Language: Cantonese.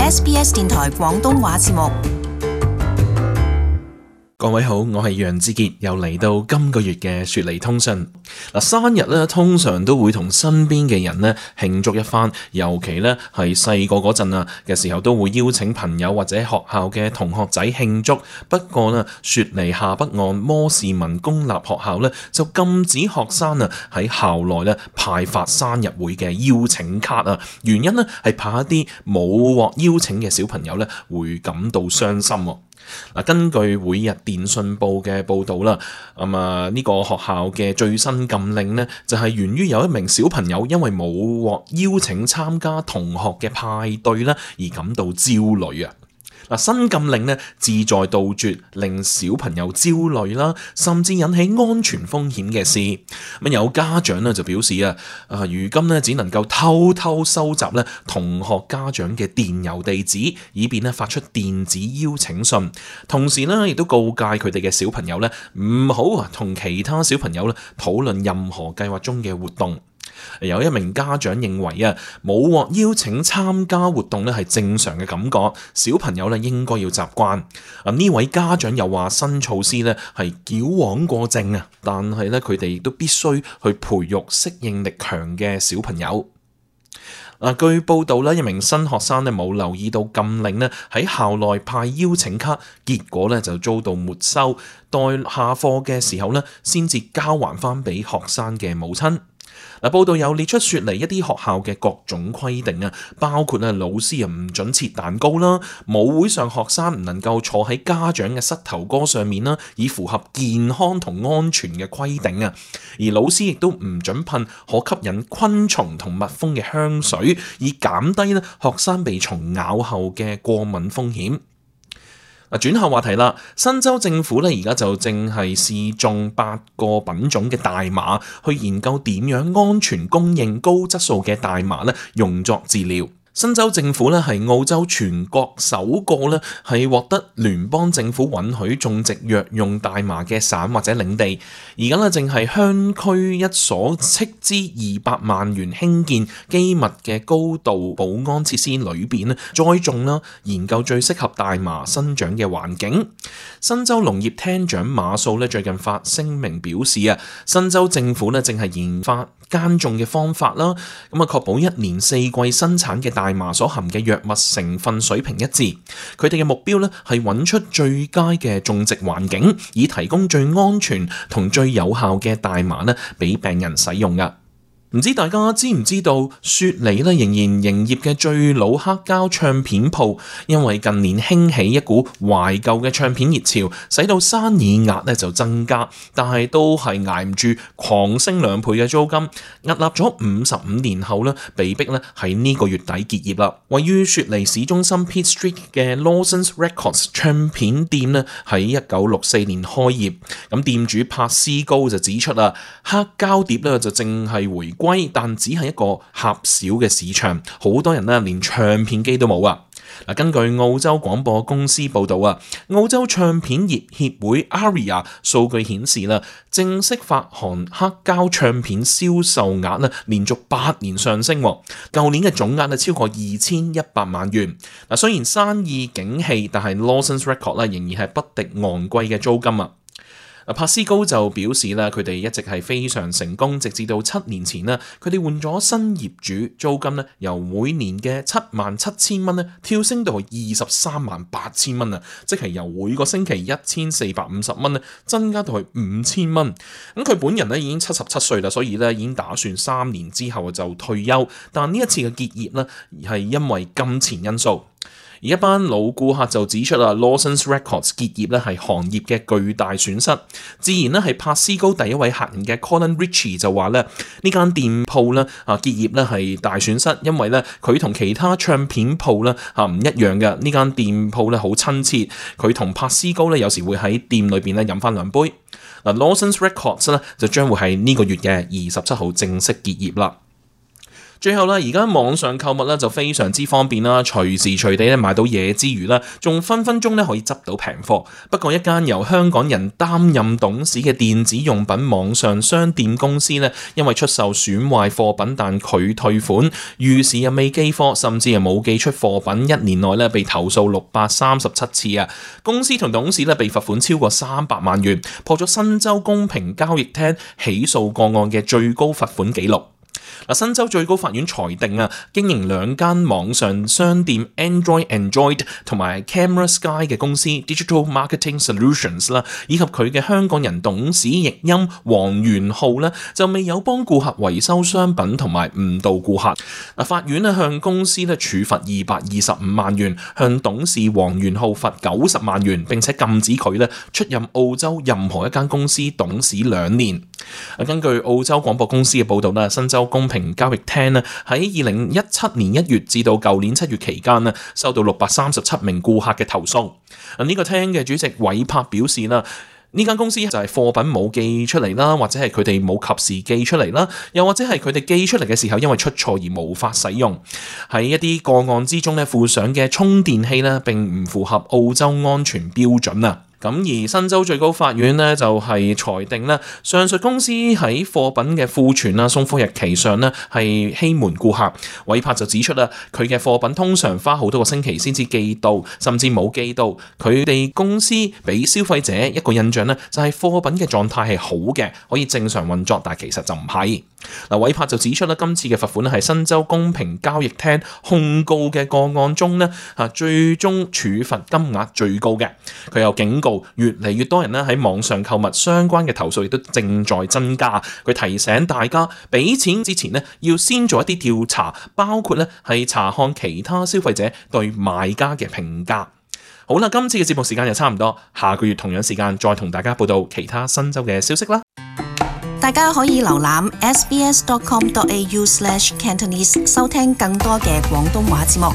SBS 電台廣東話節目。各位好，我係楊志傑，又嚟到今個月嘅雪梨通訊。生日咧通常都會同身邊嘅人咧慶祝一番，尤其咧係細個嗰陣嘅時候，都會邀請朋友或者學校嘅同學仔慶祝。不過咧，雪梨下北岸摩士文公立學校咧就禁止學生喺校內咧派發生日會嘅邀請卡啊。原因咧係怕一啲冇獲邀請嘅小朋友咧會感到傷心。根據每日電訊報嘅報導啦，呢個學校嘅最新禁令呢，就係源於有一名小朋友因為冇獲邀請參加同學嘅派對啦，而感到焦慮啊。新禁令呢，旨在杜絕令小朋友焦慮啦，甚至引起安全風險嘅事。有家長呢就表示如今呢只能夠偷偷收集呢同學家長嘅電郵地址，以便呢發出電子邀請信。同時呢亦都告誡佢哋嘅小朋友呢唔好同其他小朋友呢討論任何計劃中嘅活動。有一名家長認為冇獲邀請參加活動係正常嘅感覺，小朋友應該要習慣。呢位家長又話新措施係矯枉過正，但係佢哋亦都必須去培育適應力強嘅小朋友。據報道一名新學生冇留意到禁令喺校內派邀請卡，結果就遭到沒收，待下課嘅時候先至交還翻俾學生嘅母親。報道有列出雪梨一啲學校嘅各種規定，包括老師唔准切蛋糕啦，舞會上學生唔能夠坐喺家長嘅膝頭哥上面啦，以符合健康同安全嘅規定。而老師亦都唔准噴可吸引昆蟲同蜜蜂嘅香水，以減低學生被蟲咬後嘅過敏風險。轉下話題啦，新州政府而家就正係試種8個品種嘅大麻，去研究點樣安全供應高質素嘅大麻用作治療。新州政府係澳洲全國首個係獲得聯邦政府允許種植藥用大麻嘅省或者領地。而家正係鄉區一所斥資200萬元興建機密嘅高度保安設施裏邊栽種研究最適合大麻生長嘅環境。新州農業廳長馬素最近發聲明表示新州政府正係研發耕種嘅方法啦，確保1年4季生產嘅大麻所含嘅藥物成分水平一致。佢哋嘅目標係揾出最佳嘅種植環境，以提供最安全同最有效嘅大麻俾病人使用㗎。唔知大家知唔知道雪梨仍然營業嘅最老黑膠唱片鋪，因為近年興起一股懷舊嘅唱片熱潮，使到生意額就增加，但係都係捱唔住狂升2倍嘅租金，屹立咗55年後被逼喺呢個月底結業啦。位於雪梨市中心 Pitt Street 嘅 Lawson's Records 唱片店喺1964年開業，咁店主柏斯高就指出黑膠碟就正係回歸，但只係一個狹小嘅市場，好多人連唱片機都冇啊！根據澳洲廣播公司報道澳洲唱片業協會 ARIA 數據顯示正式發行黑膠唱片銷售額連續8年上升，舊年嘅總額超過2100萬元。雖然生意景氣，但係 Lawson's Records 仍然係不敵昂貴嘅租金啊！柏斯高就表示佢哋一直係非常成功，直至到7年前佢哋換咗新業主，租金由每年嘅77000蚊跳升到238000蚊，即係由每個星期1450蚊增加到去5000蚊。咁佢本人已經77歲啦，所以已經打算3年之後就退休。但呢一次嘅結業係因為金錢因素。而一班老顧客就指出Lawson's Records 結業係行業嘅巨大損失。自然係柏斯高第一位客人嘅 Colin Ritchie 就話呢間店鋪結業係大損失，因為佢同其他唱片鋪唔一樣嘅。呢間店鋪好親切，佢同柏斯高有時會喺店裏邊飲翻2杯。Lawson's Records 就將會喺呢個月嘅27號正式結業啦。最後啦，而家網上購物咧就非常之方便啦，隨時隨地咧買到嘢之餘啦，仲分分鐘咧可以執到平貨。不過一間由香港人擔任董事嘅電子用品網上商店公司咧，因為出售損壞貨品但拒退款，逾時又未寄貨，甚至係冇寄出貨品，1年內咧被投訴637次啊！公司同董事咧被罰款超過300萬元，破咗新州公平交易廳起訴個案嘅最高罰款紀錄。新州最高法院裁定啊，經營2間網上商店 Android 同埋 Camera Sky 嘅公司 Digital Marketing Solutions 啦，以及佢嘅香港人董事譯音黃元浩咧，就未有幫顧客維修商品同埋誤導顧客。法院咧向公司咧處罰225萬元，向董事黃元浩罰90萬元，並且禁止佢咧出任澳洲任何一間公司董事2年。根據澳洲廣播公司嘅報導啦，新州公平交易廳咧喺2017年1月至到舊年7月期間咧，收到637名顧客嘅投訴。呢個廳嘅主席韋柏表示啦，呢間公司就係貨品冇寄出嚟啦，或者係佢哋冇及時寄出嚟啦，又或者係佢哋寄出嚟嘅時候因為出錯而無法使用。喺一啲個案之中咧，附上嘅充電器咧並唔符合澳洲安全標準啊。咁而新州最高法院呢，就係裁定咧，上述公司喺貨品嘅庫存啊、送貨日期上呢，係欺瞞顧客。韋柏就指出啦，佢嘅貨品通常花好多個星期先至寄到，甚至冇寄到。佢哋公司俾消費者一個印象呢，就係貨品嘅狀態係好嘅，可以正常運作，但其實就唔係。韋柏就指出啦，今次嘅罰款係新州公平交易廳控告嘅個案中呢，最終處罰金額最高嘅。佢又警告，越嚟越多人咧喺網上購物相關嘅投訴亦都正在增加。佢提醒大家，俾錢之前咧要先做一啲調查，包括咧係查看其他消費者對賣家嘅評價。好啦，今次嘅節目時間就差唔多，下個月同樣時間再同大家報道其他新州嘅消息啦。大家可以瀏覽 sbs.com.au/Cantonese 收聽更多嘅廣東話節目。